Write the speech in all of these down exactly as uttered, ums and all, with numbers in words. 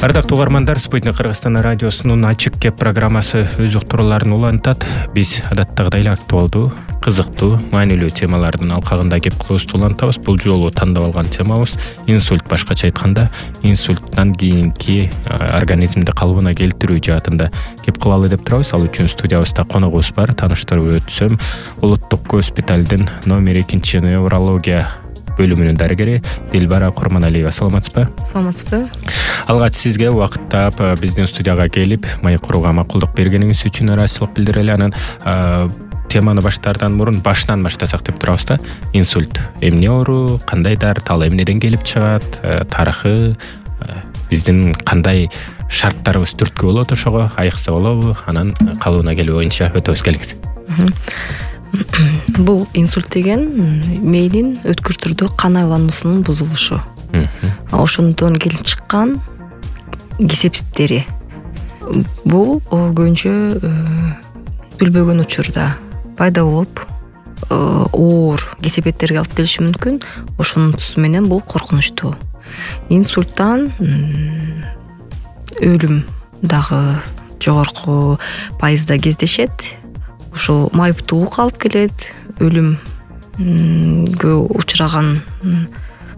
Ардактуу угармандар, Спутник Кыргызстан радиосунун Ачык кеп программасы өз уктурууларын улантат. Биз адаттагыдай эле актуалдуу, кызыктуу, маанилүү темалардын алкагында кеп кылуубузду улантабыз. Бул жолу тандап алган темабыз инсульт. Башкача айтканда, инсульттан кийинки организмди калыбына келтирүү жаатында кеп кылалы деп турабыз. Ал үчүн студиябызда коногубуз бар. Тааныштырып өтсөм, Улуттук госпиталдын номер экинчи неврология бөлүмүнүн дарыгери Дилбара Курманалиева. Саламатсызбы? Саламатсызбы. Алгач сизге убакыт таап биздин студияга келип, маек курууга макулдук бергениңиз үчүн ыраазычылык билдирели. Анан теманы баштаардан мурун башынан баштасак деп турабыз да. Инсульт эмне оору, кандай дары, ал эмнеден келип чыгат, тарыхы, биздин кандай шарттарыбыз түрткү болот, ошого айыкса болобу? Анан калыбына келүү боюнча өтөбүз, келиңиз. Бул инсульт деген мээдин өткүр түрдө кан айлануусунун бузулушу. Ошондон келип чыккан кесепеттери. Бул көбүнчө билбөгөн учурда пайда болуп, оор кесепеттерге алып келиши мүмкүн. Ошонун тусу менен бул коркунучтуу. Инсульттан өлүм дагы жогорку пайызда кездешет. Ушул майыптуулук алып келет, өлүмгө учураган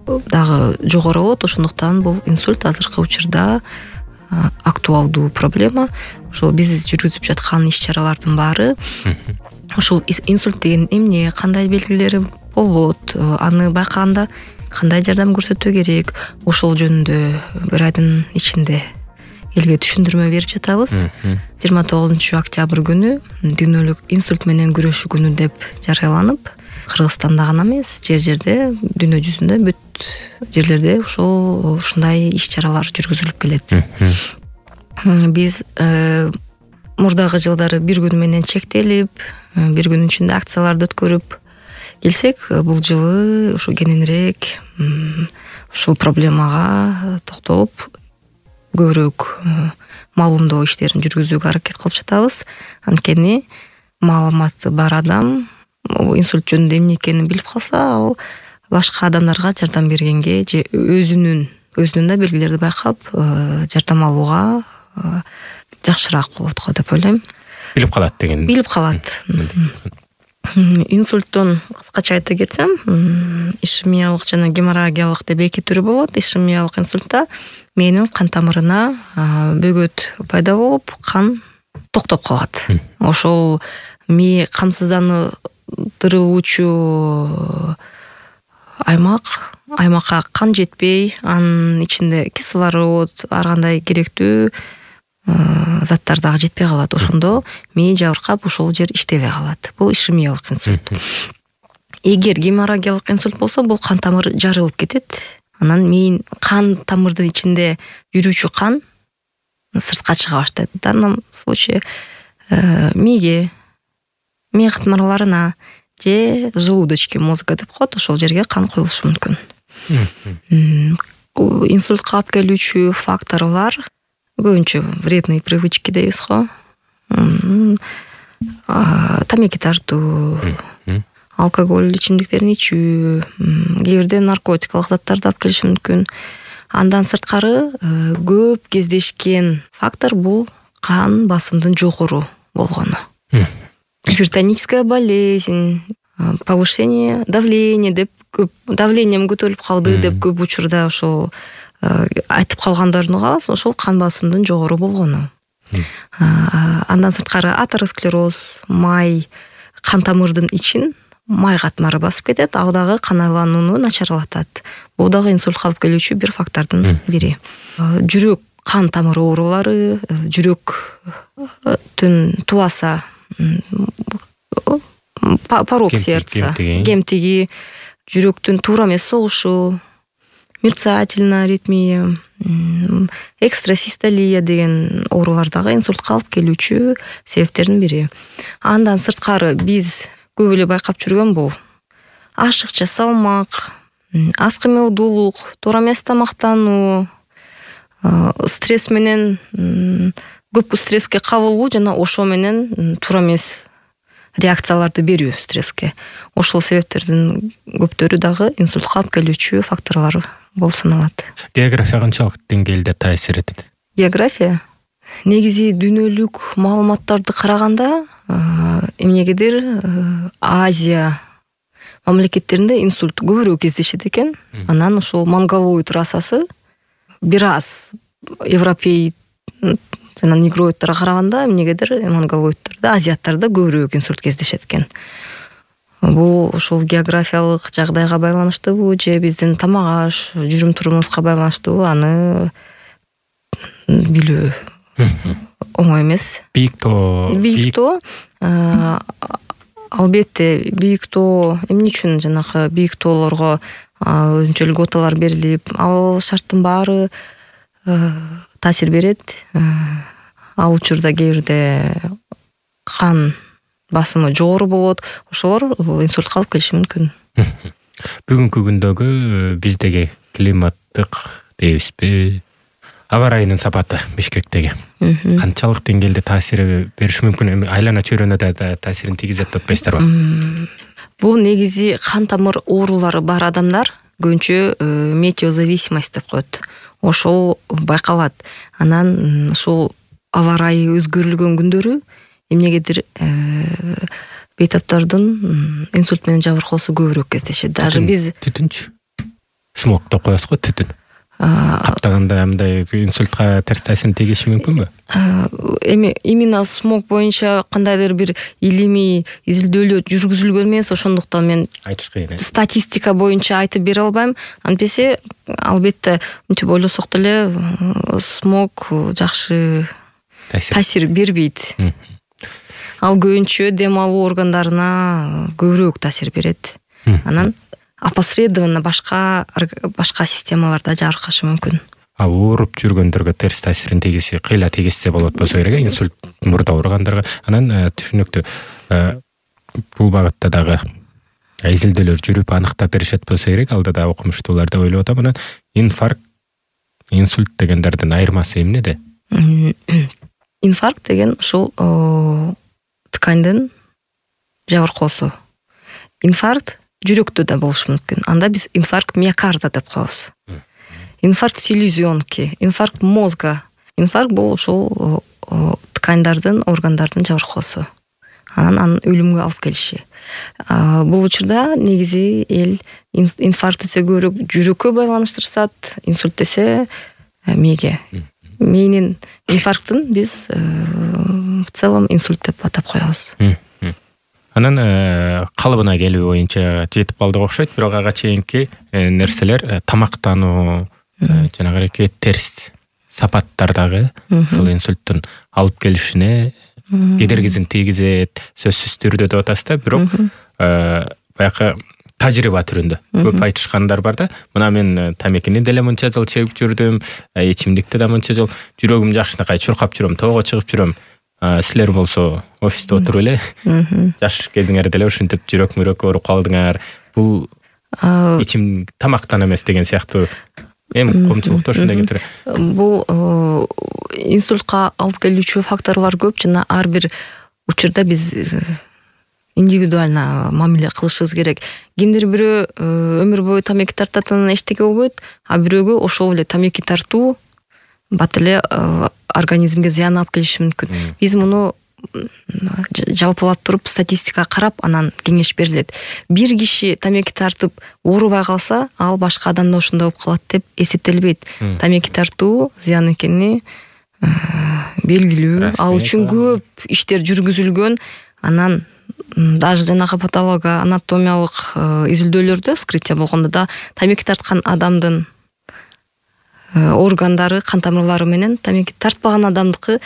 дагы жогору болот. Ошондуктан бул инсульт азыркы учурда актуалдуу проблема. Ошол биз жүргүзүп жаткан иш-чаралардын баары ушул инсульт деген эмне, кандай белгилери болот, аны байкаганда кандай жардам көрсөтүү керек, ошол жөнүндө бир айдын ичинде элге түшүндүрмө берип жатабыз. жыйырма тогузунчу октябрь күнү дүйнөлүк инсульт менен күрөшүү күнү деп жарыяланып, Кыргызстанда гана эмес, жер-жерде, дүйнө жүзүндө бүт жерлерде ошол ушундай иш-чаралар жүргүзүлүп келет. Биз мурдагы жылдары бир күн менен чектелип, бир күнүн ичинде акцияларды өткөрүп келсек, бул жылы ушу кененирээк ушул проблемага токтолуп, көбүрөөк маалымдоо иштерин жүргүзүүгө аракет кылып жатабыз. Анткени маалыматы бар адам инсульт жөнүндө эмне экенин билип калса, ал башка адамдарга жардам бергенге же өзүнүн өзүнүн да белгилерди байкап, жардам алууга жакшыраак болот го деп ойлойм. Билип калат деген. Билип калат. Инсульттун кыскача айта кетсем, ишемиялык жана геморрагиялык деп эки түрү болот. Ишемиялык инсультта мээнин кан тамырына бөгөт пайда болуп, кан токтоп калат. Ошол мээ камсыздандырылуучу аймак, аймакка кан жетпей, анын ичинде кислород, ар кандай керектүү заттар дагы жетпей калат. Ошондо мээ жабыркап, ошол жер иштебей калат. Бул ишемиялык инсульт. Эгер геморрагиялык инсульт болсо, бул кан тамыр жарылып кетет. Анан мээнин кан тамырдын ичинде жүрүүчү кан сыртка чыга баштайт. В данном случае мээге, мээ катмарларына же желудочки, мозга деп коет, ошол жерге кан коюлушу мүмкүн. Инсультка алып келүүчү факторлор көбүнчө вредный привычки дейбиз го. Тамеки тартуу, алкоголь ичимдиктерин ичүү, кээ бирде наркотикалык заттарды алып келиши мүмкүн. Андан сырткары көп кездешкен фактор бул кан басымдын жогору болгону. Гипертоническая болезнь, повышение давления деп көп, давлением көтөрүлүп калды деп көп учурда ошол айтып калгандарын угабыз. Ошол кан басымдын жогору болгону. Андан сырткары атеросклероз, май кан тамырдын ичин май катмары басып кетет, ал дагы кан айланууну начарлатат. Бул дагы инсультка алып келүүчү бир фактордун бири. Жүрөк кан тамыры оорулары, жүрөктүн тубаса, порог сердца, кемтиги, жүрөктүн туура эмес согушу, мерцательная аритмия, экстрасистолия деген оорулар дагы инсультка алып келүүчү себептердин бири. Андан сырткары биз көп эле байкап жүргөн бул ашыкча салмак, аз кыймылдуулук, туура эмес тамактануу, стресс менен көп стресске кабылуу жана ошо менен туура эмес реакцияларды берүү стресске. Ошол себептердин көптөрү дагы инсультка алып келүүчү факторлор болуп саналат. География канчалык деңгээлде таасир этет? География негизи дүйнөлүк маалыматтарды караганда эмнегедир Азия мамлекеттеринде инсульт көбүрөөк кездешет экен. Анан ошол монголоид расасы бир аз европей жана негроидтерге караганда эмнегедир монголоидтерде, азиаттарда көбүрөөк инсульт кездешет экен. Бул ошол географиялык жагдайга байланыштуубу же биздин тамак аш, жүрүм турумубузга байланыштуубу, аны билүү оңой эмес. Бийик тоо. Бийик тоо албетте бийик тоо эмне үчүн жанагы бийик тоолорго өзүнчө льготалар берилип, ал шарттын баары таасир берет. Ал учурда кээ бирде кан басымы жогору болот, ошолор инсультка алып келиши мүмкүн. Бүгүнкү күндөгү биздеги климаттык дейбизби, аба ырайынын сапаты Бишкектеги канчалык деңгээлде таасир бериши мүмкүн? Айлана чөйрөнө да таасирин тийгизет деп атпайсыздарбы? Бул негизи кан тамыр оорулары бар адамдар көбүнчө метеозависимость деп коет. Ошол байкалат. Анан ушул аба ырайы өзгөрүлгөн күндөрү эмнегедир бейтаптардын инсульт менен жабыркоосу көбүрөөк кездешет. Даже биз түтүнчү смог деп коебуз го, түтүн каптаганда мындай инсультка терс таасирин тийгизиши мүмкүнбү? Эми именно смог боюнча кандайдыр бир илимий изилдөөлөр жүргүзүлгөн эмес, ошондуктан мен айтыш кыйын. Статистика боюнча айтып бере албайм. Антпесе албетте мынтип ойлосок деле смог жакшы таасир бербейт. Ал көбүнчө дем алуу органдарына көбүрөөк таасир берет. Анан опосредованно башка башка системаларда жабыркашы мүмкүн. А ооруп жүргөндөргө терс таасирин тийгизсе, кыйла тийгизсе болот болсо керек, инсульт мурда ооругандарга. Анан түшүнүктүү. Бул багытта дагы изилдөөлөр жүрүп аныктап беришет болсо керек, алда да окумуштуулар деп ойлоп атам. Анан инфаркт, инсульт дегендердин айырмасы эмнеде? Инфаркт деген ушул ткандын жабыркоосу. Инфаркт жүрөктө да болушу мүмкүн. Анда биз инфаркт миокарда деп коебуз. Инфаркт селезенки, инфаркт мозга. Инфаркт бул ушул ткандардын, органдардын жабыркоосу. Анан анын өлүмгө алып келиши. Бул учурда негизи эл инфаркт десе көбүрөөк жүрөккө байланыштырышат, инсульт десе мээге. Мээнин инфаркттын биз в целом инсульт деп атап коебуз. Анан калыбына келүү боюнча жетип калдык окшойт, бирок ага чейинки нерселер тамактануу, жанагы терс сапаттардагы ушул инсульттун алып келишине кедергисин тийгизет, сөзсүз түрдө деп атасыз да, бирок баягы тажрыйба түрүндө көп айтышкандар бар да. Мына мен тамекини деле мынча жыл чегип жүрдүм, ичимдикти да мынча жыл, жүрөгүм жакшынакай чуркап жүрөм, тоого чыгып жүрөм. Силер болсо офисте отуруп эле жаш кезиңерде деле ушинтип жүрөк мөрөк ооруп калдыңар. Бул ичим тамактан эмес деген сыяктуу эми коомчулукта ушундай кетири. Бул инсультка алып келүүчү факторлор көп, жана ар бир учурда биз индивидуально мамиле кылышыбыз керек. Кимдир бирөө өмүр бою тамеки тартатынын эчтеке болбойт, а бирөөгө ошол эле тамеки тартуу бат эле организмге зыян алып келиши мүмкүн. Биз муну жалпылап туруп статистика карап анан кеңеш берилет. Бир киши тамеки тартып оорубай калса, ал башка адамда ошондой болуп калат деп эсептелбейт. Тамеки тартуу зыян экени белгилүү. Ал үчүн көп иштер жүргүзүлгөн. Анан даже жанагы патолого анатомиялык изилдөөлөрдө, вскрытие болгондо да тамеки тарткан адамдын органдары, кан тамырлары менен тамеки тартпаган адамдыкы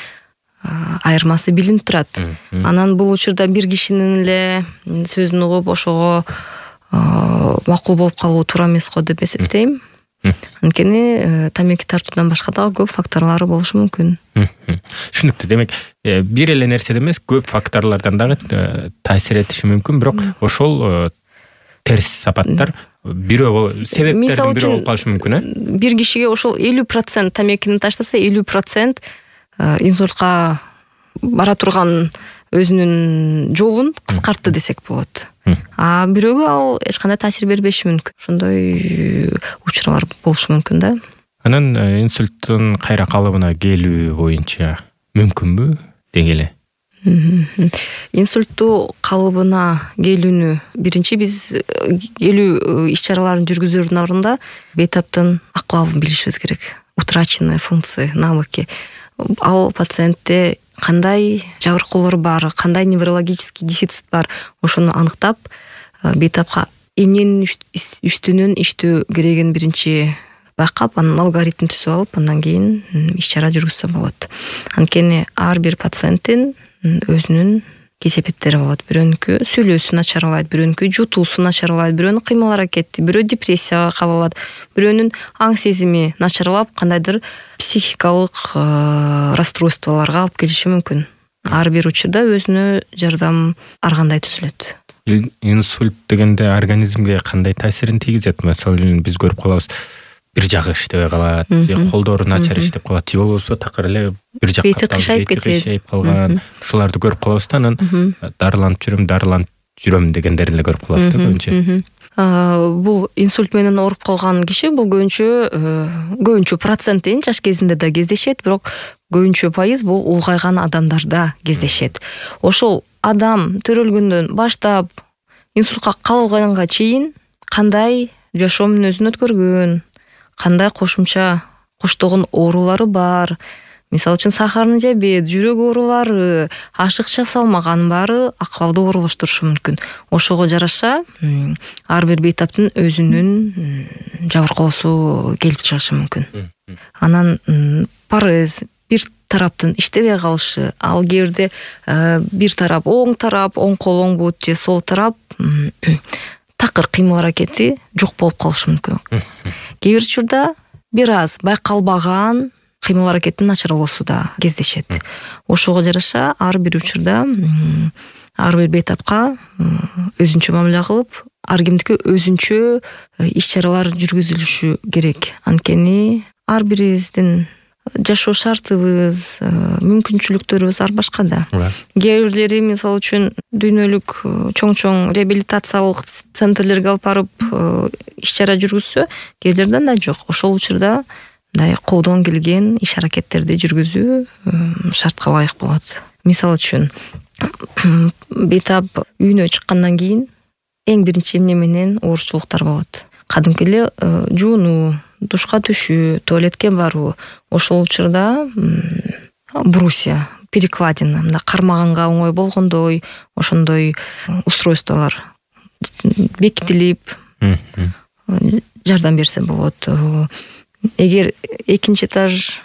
айырмасы билинип турат. Анан бул учурда бир кишинин эле сөзүн угуп ошого макул болуп калуу туура эмес го деп эсептейм. Анткени тамеки тартуудан башка дагы көп факторлору болушу мүмкүн. Түшүнүктүү. Демек, бир эле нерседен эмес, көп факторлордон дагы таасир этиши мүмкүн, бирок ошол терс сапаттар бирөө себептердин бирөө болуп калышы мүмкүн, э? Бир кишиге ошол элүү процент тамекини таштаса, элүү процент инсультка бара турган өзүнүн жолун кыскартты десек болот. А бирөөгө ал эч кандай таасир бербеши мүмкүн. Ошондой учурлар болушу мүмкүн да. Анан инсульттун кайра калыбына келүү боюнча мүмкүнбү деги эле? Инсульттуу калыбына келүүнү биринчи биз келүү иш-чараларын жүргүзүүнүн алдында бейтаптын акыбалын билишибиз керек. Утраченные функции, навыки. Ал пациентте кандай жабыркоолор бар, кандай неврологический дефицит бар, ошону аныктап бейтапка эмненин үстүнөн иштөө керегин биринчи байкап, анан алгоритм түзүп алып, андан кийин иш-чара жүргүзсө болот. Анткени ар бир пациенттин өзүнүн кесепеттери болот. Бирөөнүкү сүйлөөсү начарлайт, бирөөнүкү жутуусу начарлайт, бирөөнүн кыймыл аракети, бирөө депрессияга кабылат, бирөөнүн аң сезими начарлап, кандайдыр психикалык расстройстволорго алып келиши мүмкүн. Ар бир учурда өзүнө жардам ар кандай түзүлөт. Инсульт дегенде организмге кандай таасирин тийгизет? Мисалы, биз көрүп калабыз, бир жагы иштебей калат, же колдору начар иштеп калат, же болбосо такыр эле бир жакка бети кыйшайып кетет, калган. Ушуларды көрүп калабыз да, анан дарыланып жүрөм, дарыланып жүрөм дегендерди эле көрүп калабыз да көбүнчө. Бул инсульт менен ооруп калган киши бул көбүнчө көбүнчө процент дейин жаш кезинде да кездешет, бирок көбүнчө пайыз бул улгайган адамдарда кездешет. Ошол адам төрөлгөндөн баштап инсультка калганга чейин кандай жашоо мүнөзүн өткөргөн, кандай кошумча коштогон оорулары бар, мисалы үчүн сахарный диабет, жүрөк оорулары, ашыкча салмаган баары акыбалды оорулаштырушу мүмкүн. Ошого жараша ар бир бейтаптын өзүнүн жабыркоосу келип чыгышы мүмкүн. Анан парез, бир тараптын иштебей калышы, ал кээ бирде бир тарап оң тарап, оң кол, оң бут же сол тарап такыр кыймыл аракети жок болуп калышы мүмкүн. Кээ бир учурда бир аз байкалбаган кыймыл аракеттин начарлоосу да кездешет. Ошого жараша ар бир учурда ар бир бейтапка өзүнчө мамиле кылып, ар кимдики өзүнчө иш-чаралар жүргүзүлүшү керек. Анткени ар бирибиздин жашоо шартыбыз, мүмкүнчүлүктөрүбүз ар башка да. Кээ бирлери мисалы үчүн дүйнөлүк чоң-чоң реабилитациялык центрлерге алып барып иш-чара жүргүзсө, кээ бирлерде андай жок. Ошол учурда мындай колдон келген иш-аракеттерди жүргүзүү шартка ылайык болот. Мисалы үчүн бейтап үйүнө чыккандан кийин эң биринчи эмне менен оорчулуктар болот. Кадимки эле жуунуу, душка түшүү, туалетке баруу. Ошол учурда брусья, перекладина, мына кармаганга оңой болгондой, ошондой устройстволор бекитилип жардам берсе болот. Эгер экинчи этаж,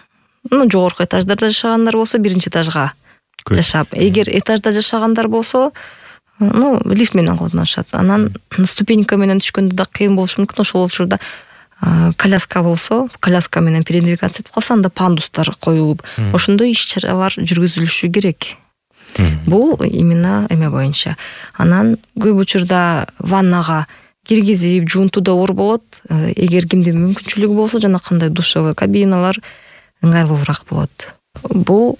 ну жогорку этаждарда жашагандар болсо, биринчи этажга жашап, эгер этажда жашагандар болсо, ну лифт менен колдонушат. Анан ступенька менен түшкөндө да кыйын болушу мүмкүн. Ошол учурда коляска болсо, коляска менен передвигаться этип калса, анда пандустар коюлуп, ошондой иш-чаралар жүргүзүлүшү керек. Бул именно эме боюнча. Анан көп учурда ваннага киргизип, жуунтууда оор болот. Эгер кимдин мүмкүнчүлүгү болсо, жана кандай душевой кабиналар ыңгайлуураак болот. Бул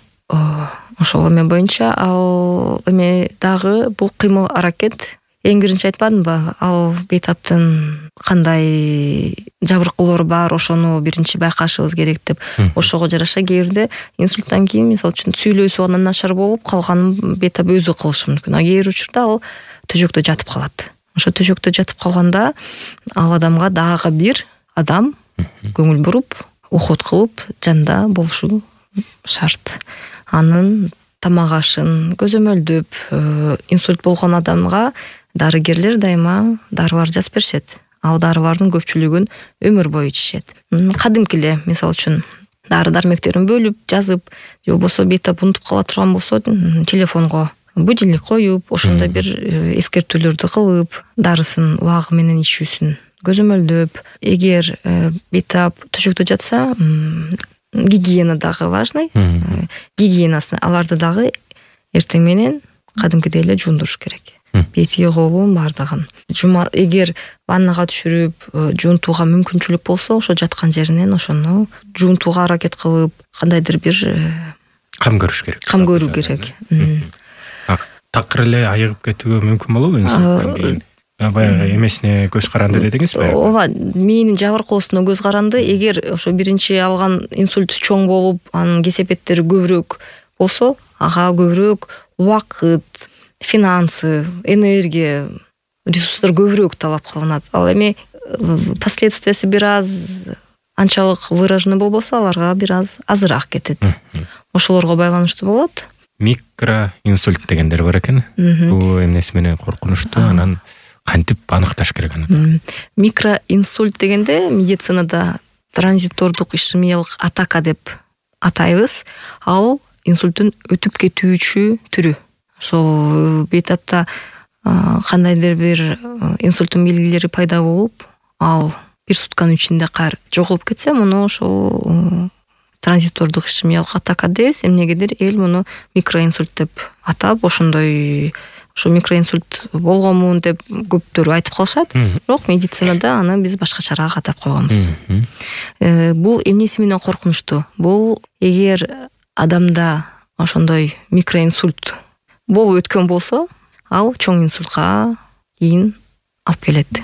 ошол эме боюнча, ал эме дагы бул кыймыл аракет. Эң биринчи айтпадымбы, ал бейтаптын кандай жабыркоолору бар, ошону биринчи байкашыбыз керек деп. Ошого жараша кээ бирде инсульттан кийин, мисалы үчүн сүйлөөсү андан начар болуп, калганын бейтап өзү кылышы мүмкүн. А кээ бир учурда ал төшөктө жатып калат. Ошо төшөктө жатып калганда ал адамга дагы бир адам көңүл буруп, уход кылып, жанында болушу шарт. Анын тамак ашын көзөмөлдөп, инсульт болгон адамга дарыгерлер дайыма дарылар жазып беришет. Ал дарылардын көпчүлүгүн өмүр бою ичишет. Кадимки эле, мисалы үчүн, дары-дармектерин бөлүп, жазып, же болбосо бейтап унутуп кала турган болсо, телефонго будильник коюп, ошондой бир эскертүүлөрдү кылып, дарысын убагы менен ичүүсүн көзөмөлдөп. Эгер бейтап төшөктө жатса, гигиена дагы важный. Гигиенасын аларды дагы эртең менен кадимкидей эле жуундуруш керек. Бети, колун бардыгын. Жума, эгер ваннага түшүрүп, жуунтууга мүмкүнчүлүк болсо, ошо жаткан жеринен ошону жуунтууга аракет кылып, кандайдыр бир кам көрүш керек. Кам көрүү керек. Такыр эле айыгып кетүүгө мүмкүн болобу инсульттан кийин? баягы эмесине көз каранды дедиңизби? ооба, мээнин жабыркоосуна көз каранды. Эгер ошо биринчи алган инсульт чоң болуп, анын кесепеттери көбүрөөк болсо, ага көбүрөөк убакыт, финансы, энергия, ресурстар көбүрөөк талап кылынат. Ал эми последствиясы бир аз анчалык выраженный болбосо, аларга бир аз азыраак кетет. Ошолорго байланыштуу болот. Микроинсульт дегендер бар экен. Бул эмнеси менен коркунучтуу, анан кантип аныкташ керек аны? Микроинсульт дегенде медицинада транзитордук ишемиялык атака деп атайбыз. Ал инсульттун өтүп кетүүчү түрү. Ошол бейтапта кандайдыр бир инсульттун белгилери пайда болуп, ал бир сутканын ичинде кайра жоголуп кетсе, муну ошол транзитордук ишемиялык атака дейбиз. Эмнегедир эл муну микроинсульт деп атап, ошондой ошо микроинсульт болгонмун деп көптөр айтып калышат. Бирок медицинада аны биз башкачараак атап койгонбуз. Бул эмнеси менен коркунучтуу? Бул эгер адамда ошондой микроинсульт болуп өткөн болсо, ал чоң инсультка кийин алып келет.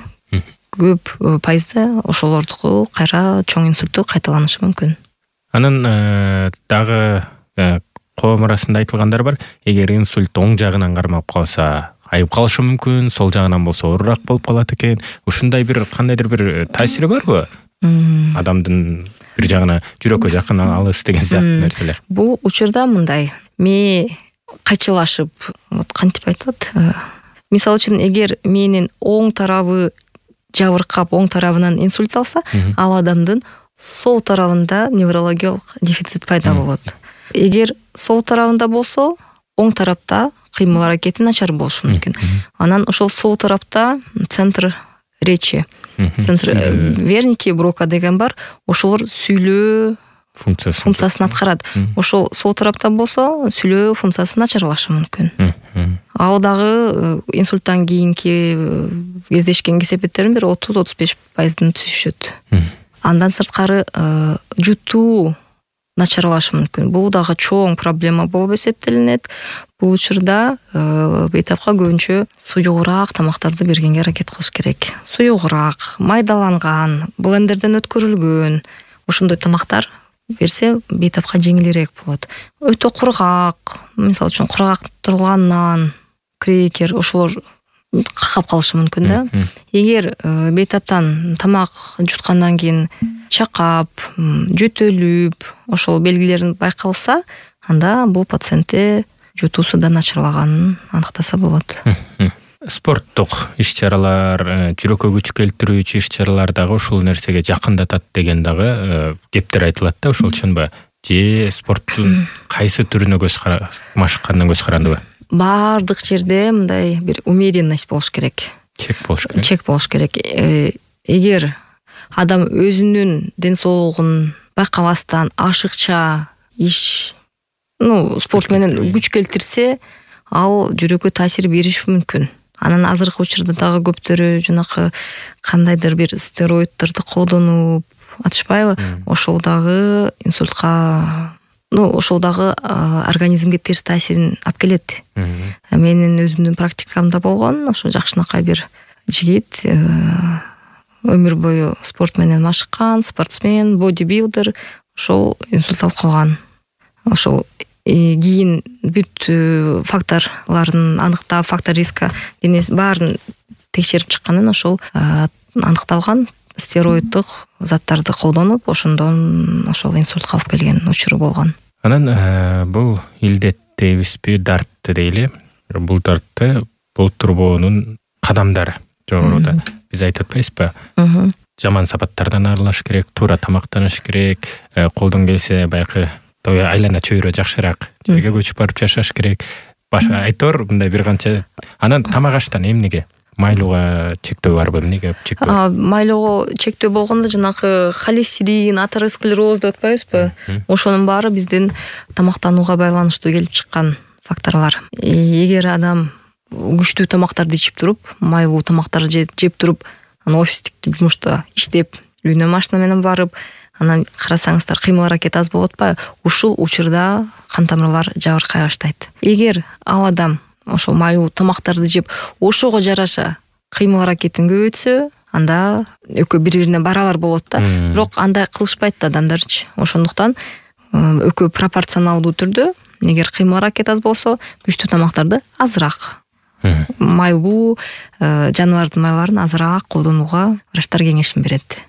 Көп пайызда ошолордуку кайра чоң инсультту кайталанышы мүмкүн. Анан дагы коом арасында айтылгандар бар. Эгер инсульт оң жагынан кармалып калса, айып калышы мүмкүн, сол жагынан болсо оорураак болуп калат экен. Ушундай бир кандайдыр бир таасири барбы? Адамдын бир жагына жүрөккө жакын, алыс деген сыяктуу нерселер. Бул учурда мындай, мээ кайчылашып, вот кантип айтылат? Мисалы үчүн, эгер мээнин оң тарабы жабыркап, оң тарабынан инсульт алса, ал адамдын сол тарабында неврологиялык дефицит пайда болот. Эгер сол тарабында болсо, оң тарапта кыймыл аракети начар болушу мүмкүн. Анан ошол сол тарапта центр речи, центр Верники, Брока деген бар. Ошолор сүйлөө функциясын аткарат. Ошол сол тарапта болсо, сүйлөө функциясы начарлашы мүмкүн. Ал дагы инсульттан кийинки кездешкен кесепеттердин бир отуз отуз беш пайызын түзүшөт. Андан сырткары жутуу начарлашы мүмкүн. Бул дагы чоң проблема болуп эсептелинет. Бул учурда бейтапка көбүнчө суюгураак тамактарды бергенге аракет кылыш керек. Суюгураак, майдаланган, блендерден өткөрүлгөн ошондой тамактар берсе бейтапка жеңилирээк болот. Өтө кургак, мисалы үчүн кургак турган нан, крекер, ошолор какап калышы мүмкүн да. Эгер бейтаптан тамак жуткандан кийин чакап, жөтөлүп, ошол белгилерин байкалса, анда бул пациентте жутуусу да начарлаганын аныктаса болот. Спорттук иш-чаралар, жүрөккө күч келтирүүчү иш-чаралар дагы ушул нерсеге жакындатат деген дагы кептер айтылат да, ошол үчүнбү? Же спорттун кайсы түрүнө көз машыккандан көз карандыбы? Бардык жерде мындай бир умеренность болуш керек. Чек болуш керек. Чек болуш керек. Эгер адам өзүнүн ден соолугун байкабастан ашыкча иш, ну, спорт менен күч келтирсе, ал жүрөккө таасир бериши мүмкүн. Анан азыркы учурда дагы көптөрү жанакы кандайдыр бир стероиддерди колдонуп атышпайбы? Ошол дагы инсультка, ну, ошол дагы организмге терс таасирин алып келет. Менин өзүмдүн практикамда болгон, ошо жакшынакай бир жигит, өмүр бою спорт менен машыккан, спортсмен, бодибилдер, ошол инсульт алып калган. Ошол кийин бүт факторларын аныктап, фактор риска денеси баарын текшерип чыккандан ошол аныкталган стероиддик заттарды колдонуп, ошондон ошол инсультка алып келген учуру болгон. Анан бул илдет дейбизби, дартты дейли. Бул дартты болтурбоонун кадамдары жогоруда биз айтып атпайбызбы? Жаман сапаттардан арылыш керек, туура тамактаныш керек, колдон келсе баягы айлана чөйрө жакшыраак жерге көчүп барып жашаш керек. Башка айтор мындай бир канча. Анан тамак аштан эмнеге? Майлууга чектөө барбы? Эмнеге чектөө? Майлоого чектөө болгондо жанакы холестерин, атеросклероз деп атпайбызбы? Ошонун баары биздин тамактанууга байланыштуу келип чыккан факторлор. Эгер адам күчтүү тамактарды ичип туруп, майлуу тамактарды жеп туруп, анан офистик жумушта иштеп, үйүнө машина менен барып, анан карасаңыздар кыймыл аракет аз болуп атпайбы? Ушул учурда кан тамырлар жабыркай баштайт. Эгер ал адам ошол майлуу тамактарды жеп, ошого жараша кыймыл аракетин көбөйтсө, анда экөө бири бирине барабар болот да. Бирок андай кылышпайт да адамдарчы. Ошондуктан экөө пропорционалдуу түрдө, эгер кыймыл аракет аз болсо, күчтүү тамактарды азыраак, майлуу жаныбардын майларын азыраак колдонууга врачтар кеңешин берет.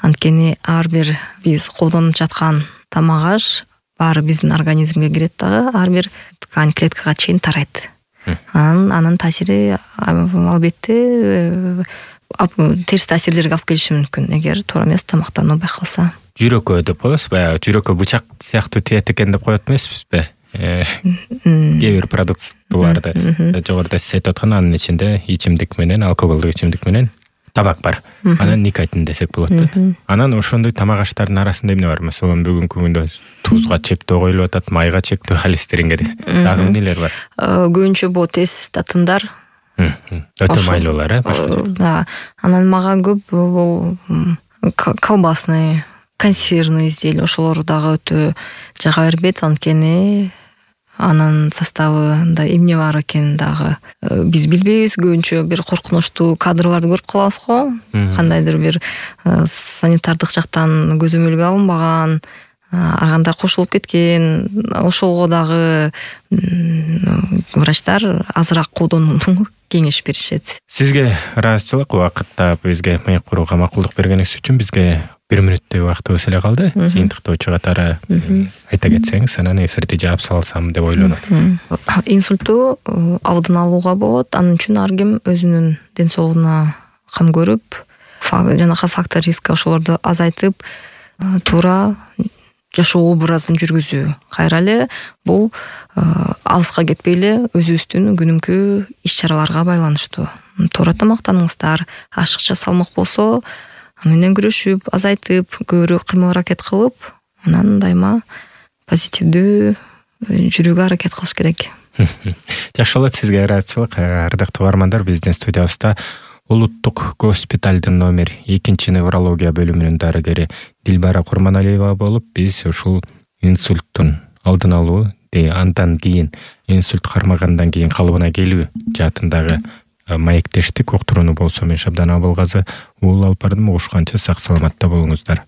Анткени ар бир биз колдонуп жаткан тамак аш баары биздин организмге кирет дагы, ар бир ткань, клеткага чейин тарайт. Анын анын таасири албетте терс таасирлерге алып келиши мүмкүн, эгер туура эмес тамактануу байкалса. Жүрөккө деп коебуз, баягы жүрөккө бычак сыяктуу тиет экен деп коет эмеспизби? Кээ бир продуктыларды жогоруда сиз айтып аткан, анын ичинде ичимдик менен, алкоголдук ичимдик менен табак бар. Анан никотин десек болот да. Анан ошондой тамак аштардын арасында эмне бар? Маселен, бүгүнкү күндө тузга чектөө коюлуп атат, майга чектөө, холестеринге дагы эмнелер бар? Көбүнчө бул тез татымдар. Өтө майлуулар, э, башкача. Да. Анан мага көп бул колбасный, консервный изделия, ошолор дагы өтө жага бербейт, анткени анын составында эмне бар экен дагы биз билбейбиз. Көбүнчө бир коркунучтуу кадрларды көрүп калабыз го. Кандайдыр бир санитардык жактан көзөмөлгө алынбаган, ар кандай кошулуп кеткен. Ошолго дагы врачтар азыраак колдонууну кеңеш беришет. Сизге ыраазычылык, убакытта бизге маек курууга макулдук бергениңиз үчүн. Бизге бир мүнөттөй убактыбыз эле калды. Жыйынтыктоочу катары айта кетсеңиз, анан эфирди жаап салсам деп ойлонот. Инсультту алдын алууга болот. Анын үчүн ар ким өзүнүн ден соолугуна кам көрүп, жанагы фактор риска ошолорду азайтып, туура жашоо образын жүргүзүү. Кайра эле бул алыска кетпей эле өзүбүздүн күнүмкү иш-чараларга байланыштуу. Туура тамактаныңыздар, ашыкча салмак болсо, менен күрөшүп, азайтып, көбүрөөк кыймыл аракет кылып, анан дайыма позитивдүү жүрүүгө аракет кылыш керек. Жакшы болот, сизге ыраазычылык. Ардактуу угармандар, биздин студиябызда Улуттук госпиталдын номер экинчи неврология бөлүмүнүн дарыгери Дилбара Курманалиева болуп, биз ушул инсульттун алдын алуу, андан кийин инсульт кармагандан кийин калыбына келүү жаатындагы маектештик. Уктурууну болсо мен Шабдан Абылгазы, уул алып бардым. Угушканча сак саламатта болуңуздар.